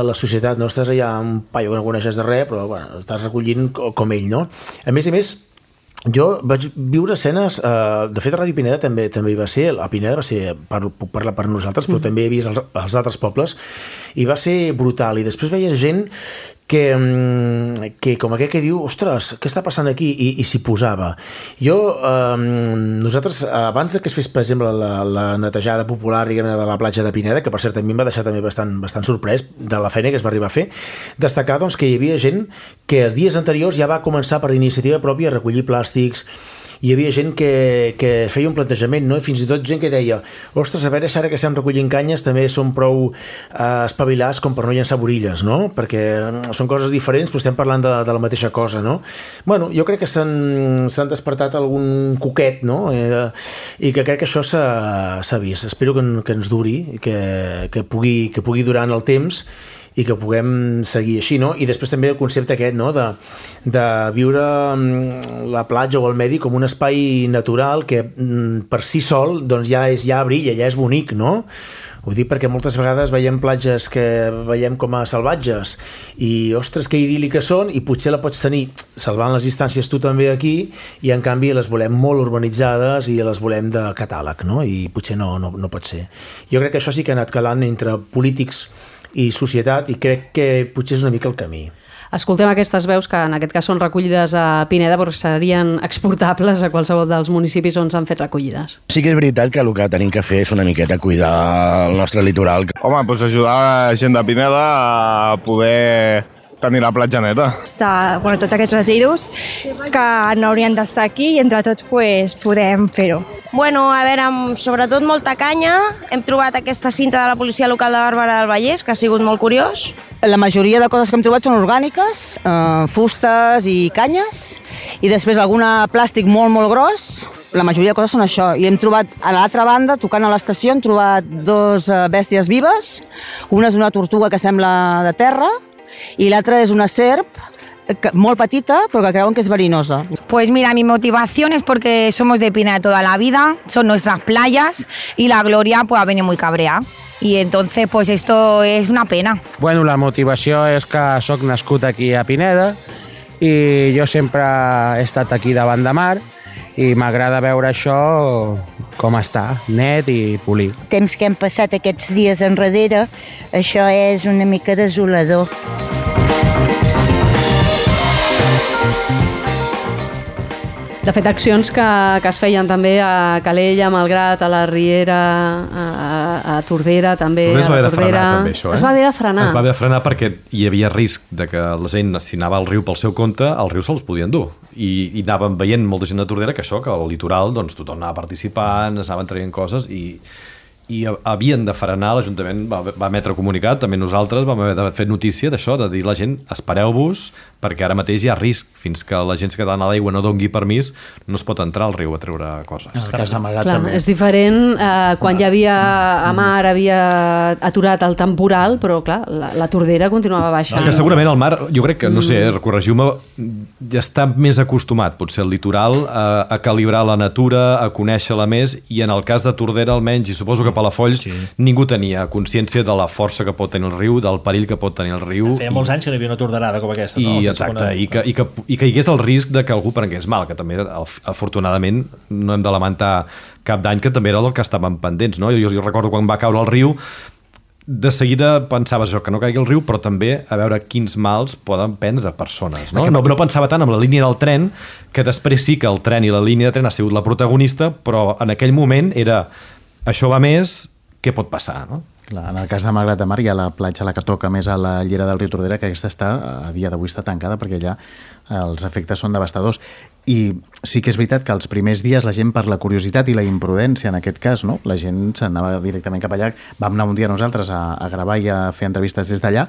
la societat, no? Estàs allà un paio que no coneixes de res però bueno, estàs recollint com ell, no? A més a més jo vaig viure escenes, eh, de fet a Ràdio Pineda també també hi va ser, a Pineda va ser, per, puc parlar per nosaltres, però mm. també he vist els, els altres pobles, i va ser brutal, i després veia gent que, que com aquell que diu, ostres, què està passant aquí? I, i s'hi posava. Jo, eh, nosaltres, abans que es fes, per exemple, la, la netejada popular, diguem, de la platja de Pineda, que per cert a mi em va deixar també bastant, bastant sorprès de la feina que es va arribar a fer, destacar doncs, que hi havia gent que els dies anteriors ja va començar per iniciativa pròpia a recollir plàstics. Hi havia gent que, que feia un plantejament, no? I fins i tot gent que deia, ostres, a veure si ara que estem recollint canyes també som prou eh, espavilats com per no llançar borilles, no? Perquè són coses diferents, però estem parlant de, de la mateixa cosa, no? Bueno, jo crec que s'han despertat algun coquet, no? Eh, I que crec que això s'ha vist. Espero que, que ens duri, que, que, pugui, que pugui durar en el temps i que puguem seguir així, no? I després també el concepte aquest, no? De, de viure la platja o el medi com un espai natural que per si sol doncs ja, és, ja brilla, ja és bonic, no? Ho dic perquè moltes vegades veiem platges que veiem com a salvatges i, ostres, que idíl·liques són, i potser la pots tenir salvant les distàncies tu també aquí, i en canvi les volem molt urbanitzades i les volem de catàleg, no? I potser no, no, no pot ser. Jo crec que això sí que ha anat calant entre polítics i societat, i crec que potser és una mica el camí. Escoltem aquestes veus que en aquest cas són recollides a Pineda perquè serien exportables a qualsevol dels municipis on s'han fet recollides. Sí que és veritat que el que tenim que fer és una miqueta cuidar el nostre litoral. Home, doncs ajudar la gent de Pineda a poder tenir la platja neta. Està, bueno, tots aquests residus que no haurien d'estar aquí i entre tots pues, podem fer-ho. Bueno, a veure, amb sobretot molta canya. Hem trobat aquesta cinta de la policia local de Bàrbara del Vallès, que ha sigut molt curiós. La majoria de coses que hem trobat són orgàniques, eh, fustes i canyes, i després alguna plàstic molt, molt gros. La majoria de coses són això. I hem trobat, a l'altra banda, tocant a l'estació, hem trobat dos bèsties vives. Una és una tortuga que sembla de terra, i l'altra és una serp muy petita, pero que creuen que es verinosa. Pues mira, mi motivación es porque somos de Pineda toda la vida, son nuestras playas y la Gloria pues ha venido muy cabrea. Y entonces pues esto es una pena. Bueno, la motivació és que sóc nascut aquí a Pineda i jo sempre he estat aquí davant de mar i m'agrada veure això com està, net i polit. Temps que hem passat aquests dies enrere, això és una mica desolador. De fet, accions que, que es feien també a Calella, a Malgrat, a la Riera, a, a Tordera, també es va a la haver de Tordera. frenar, també, això, eh? Es va haver de frenar. Es va haver de frenar perquè hi havia risc de que la gent, si anava al riu pel seu compte, al riu se'ls podien dur. I, i anàvem veient molta gent de Tordera que això, que al litoral doncs, tothom anava participant, es anaven traient coses i, i havien de frenar, l'Ajuntament va, va emetre comunicat, també nosaltres vam haver de fer notícia d'això, de dir a la gent, espereu-vos, perquè ara mateix hi ha risc, fins que l'Agència Catalana de l'Aigua no dongui permís, no es pot entrar al riu a treure coses. En el cas de Malgrat, també. És diferent eh, quan hi havia a mar, havia aturat el temporal, però clar, la, la Tordera continuava baixa. És que segurament el mar, jo crec que, no sé, corregiu-me, ja està més acostumat, potser el litoral, a, a calibrar la natura, a conèixer-la més, i en el cas de Tordera almenys, i suposo que Palafolls, sí. Ningú tenia consciència de la força que pot tenir el riu, del perill que pot tenir el riu. Feia molts anys que hi havia una torderada com aquesta, no? I, exacte, i que, i, que, i que hi hagués el risc de que algú prengués mal, que també, afortunadament, no hem de lamentar cap dany, que també era del que estàvem pendents, no? Jo, jo recordo quan va caure el riu, de seguida pensaves això, que no caigui el riu, però també a veure quins mals poden prendre persones, no? No, no pensava tant en la línia del tren, que després sí que el tren i la línia de tren ha sigut la protagonista, però en aquell moment era això va més, què pot passar, no? Clar, en el cas de Malgrat de Mar hi ha la platja la que toca més a la llera del riu Tordera, que aquesta està, a dia d'avui està tancada perquè allà els efectes són devastadors. I sí que és veritat que els primers dies la gent, per la curiositat i la imprudència en aquest cas, no? La gent s'anava directament cap allà. Vam anar un dia nosaltres a, a gravar i a fer entrevistes des d'allà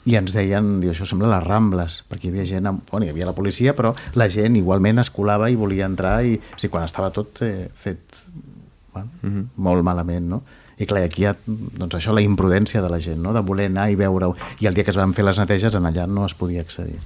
i ens deien, diu, això sembla les Rambles, perquè hi havia gent, amb, bueno, hi havia la policia, però la gent igualment es colava i volia entrar, i o sigui, quan estava tot eh, fet bueno, mm-hmm. molt malament, no? I clar, aquí hi ha doncs això, la imprudència de la gent, no? De voler anar i veure-ho. I el dia que es van fer les neteges, en allà no es podia accedir.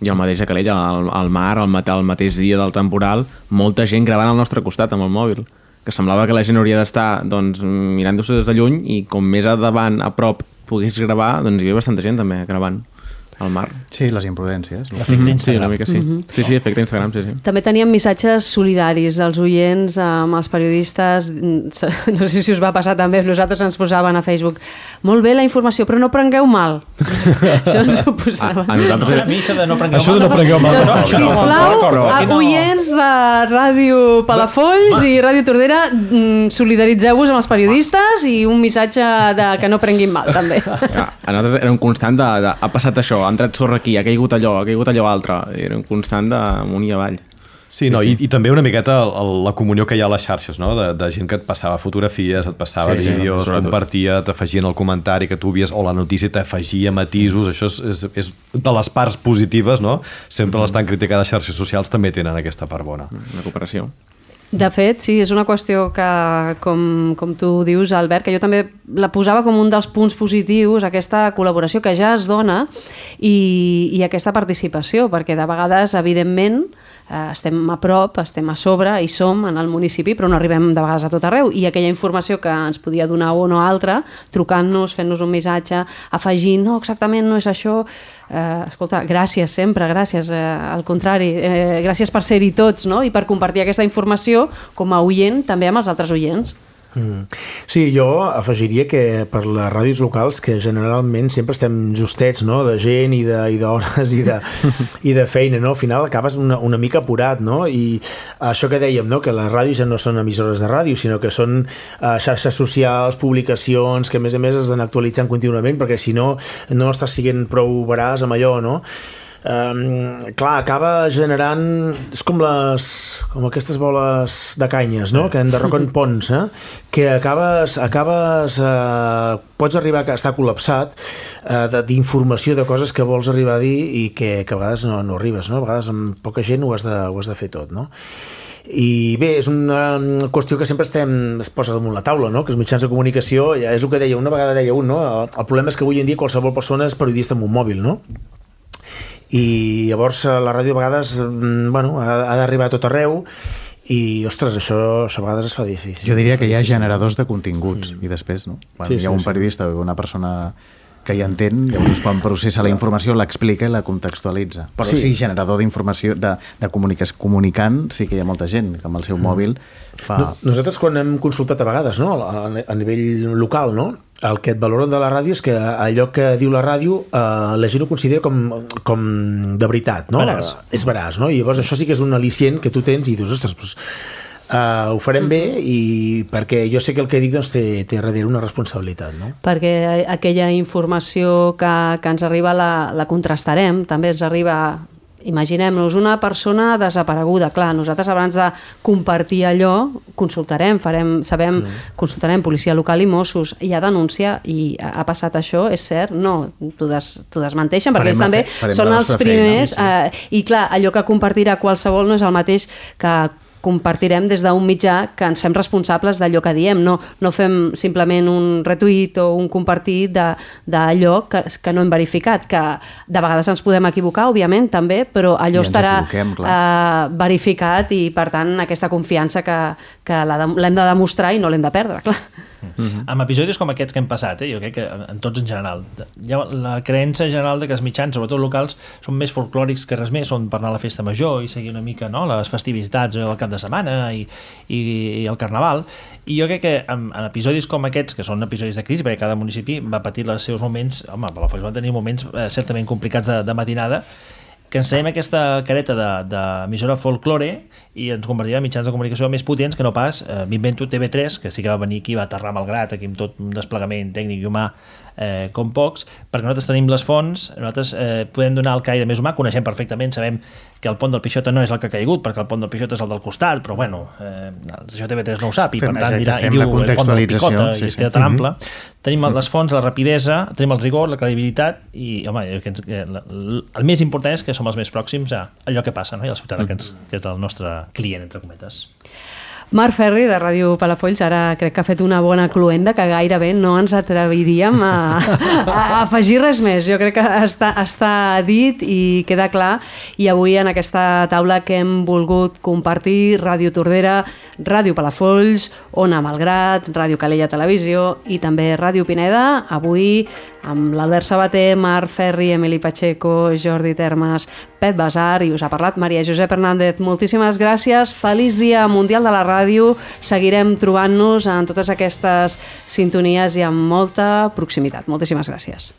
I el mateix a Calella, al, al mar, al, mate, al mateix dia del temporal, molta gent gravant al nostre costat amb el mòbil, que semblava que la gent hauria d'estar doncs, mirant-se des de lluny, i com més a davant, a prop, pogués gravar, doncs hi havia bastanta gent també gravant al mar. Sí, les imprudències. L'efecte Instagram. Sí, una mica sí. Mm-hmm. Sí, sí, efecte Instagram, sí, sí. També teníem missatges solidaris dels oients amb els periodistes. No sé si us va passar també, nosaltres ens posaven a Facebook, molt bé la informació, però no prengueu mal. Això ens ho posaven. A, a nosaltres... A mi això de no prengueu això mal. de no prengueu mal. No, no, sisplau, no, no. oients de Ràdio Palafolls i Ràdio Tordera, solidaritzeu-vos amb els periodistes i un missatge de que no prenguin mal, també. Ja, a nosaltres era un constant de, de ha passat això, ha entrat sorra aquí, ha caigut allò, ha caigut allò altre. Era un constant d'amunt i avall. Sí, no, sí, sí. I, i també una miqueta el, la comunió que hi ha a les xarxes, no? De, de gent que et passava fotografies, et passava sí, vídeos, sí, compartia, t'afegien el comentari que tu havies, o la notícia t'afegia matisos, això és, és, és de les parts positives, no? Sempre mm. les tan criticades xarxes socials també tenen aquesta part bona. La cooperació. De fet, sí, és una qüestió que, com, com tu dius, Albert, que jo també la posava com un dels punts positius, aquesta col·laboració que ja es dona i, i aquesta participació, perquè de vegades, evidentment, eh, estem a prop, estem a sobre i som en el municipi, però no arribem de vegades a tot arreu, i aquella informació que ens podia donar un o altre, trucant-nos, fent-nos un missatge, afegint, no, exactament no és això, eh, escolta, gràcies sempre, gràcies, eh, al contrari, eh, gràcies per ser-hi tots, no? I per compartir aquesta informació com a oient també amb els altres oients. Mm. Sí, jo afegiria que per les ràdios locals, que generalment sempre estem justets, no?, de gent i d'hores i, de, i de feina, no? Al final acabes una, una mica apurat, no? I això que dèiem, no?, que les ràdios ja no són emissores de ràdio, sinó que són uh, xarxes socials, publicacions, que a més a més es d'anar actualitzant contínuament, perquè si no, no estàs siguent prou veraç amb allò, no? Um, clar, acaba generant és com les com aquestes boles de canyes, no?, que enderroquen ponts, eh? Que acabes acabes eh, pots arribar a estar col·lapsat eh, d'informació de coses que vols arribar a dir i que, que a vegades no, no arribes, no? A vegades amb poca gent ho has de, ho has de fer tot, no? I bé, és una qüestió que sempre estem, es posa damunt la taula, no?, que els mitjans de comunicació, ja és el que deia, una vegada deia un, no?, el, el problema és que avui en dia qualsevol persona és periodista amb un mòbil, no?, i llavors la ràdio a vegades bueno, ha, ha d'arribar a tot arreu i, ostres, això, això a vegades es fa difícil. Jo diria que hi ha generadors de continguts mm. i després, no? Quan sí, hi ha un periodista o una persona que hi entén, llavors quan processa la informació l'explica i la contextualitza. Però sí, sí generador d'informació, de, de comunicació, comunicant, sí que hi ha molta gent que amb el seu mòbil fa... No, nosaltres quan hem consultat a vegades, no?, a, a nivell local, no?, el que et valoren de la ràdio és que allò que diu la ràdio eh, la gent ho considera com, com de veritat, no? Veràs. És veraç, no? I llavors això sí que és un al·licient que tu tens i dius, ostres, doncs, Uh, ho farem bé i perquè jo sé que el que dic doncs, té, té darrere una responsabilitat, no? Perquè aquella informació que, que ens arriba la, la contrastarem, també ens arriba... Imaginem-nos una persona desapareguda. Clar, nosaltres abans de compartir allò consultarem, farem, sabem, mm. consultarem policia local i Mossos, hi ha denúncia i ha passat això, és cert? No, t'ho des, desmenteixen, perquè ells també són els primers feina, sí. eh, i clar, allò que compartirà qualsevol no és el mateix que compartirem des d'un mitjà que ens fem responsables d'allò que diem, no, no fem simplement un retuit o un compartit d'allò que, que no hem verificat, que de vegades ens podem equivocar, òbviament, també, però allò estarà eh, verificat i, per tant, aquesta confiança que, que l'hem de demostrar i no l'hem de perdre, clar. Uh-huh. Amb episodis com aquests que hem passat, eh, jo crec que en tots en general, hi ha la creença general de que els mitjans, sobretot locals, són més folclòrics que res més, són per anar a la festa major i seguir una mica, no?, les festivitats del cap de setmana i, i, i el carnaval, i jo crec que en, en episodis com aquests, que són episodis de crisi, perquè cada municipi va patir els seus moments, home, Palafolls van tenir moments eh, certament complicats de, de matinada, que ens traiem aquesta careta d'emissora de, folklore i ens convertirem en mitjans de comunicació més potents que no pas, eh, m'invento T V tres, que sí que va venir aquí, va aterrar malgrat, aquí amb tot un desplegament tècnic i humà eh, com pocs, perquè nosaltres tenim les fonts, nosaltres eh, podem donar el caire més humà, coneixem perfectament, sabem que el pont del Pixota no és el que ha caigut, perquè el pont del Pixota és el del costat, però bueno, eh, això T V tres no ho sap, i fem, per tant dirà, i diu el pont del Picota, sí, i es queda tan ample. Tenim les fonts, la rapidesa, tenim el rigor, la credibilitat, i home, que ens, que el més important és que som els més pròxims a allò que passa, no?, i el ciutadà que, ens, que és el nostre client, entre cometes. Marc Ferri, de Ràdio Palafolls, ara crec que ha fet una bona cluenda que gairebé no ens atreviríem a, a afegir res més. Jo crec que està, està dit i queda clar, i avui en aquesta taula que hem volgut compartir Ràdio Tordera, Ràdio Palafolls, Ona Malgrat, Ràdio Calella Televisió i també Ràdio Pineda, avui amb l'Albert Sabater, Marc Ferri, Emili Pacheco, Jordi Termes, Pep Basar, i us ha parlat Maria Josep Hernández. Moltíssimes gràcies, feliç Dia Mundial de la Ràdio, seguirem trobant-nos en totes aquestes sintonies i amb molta proximitat. Moltíssimes gràcies.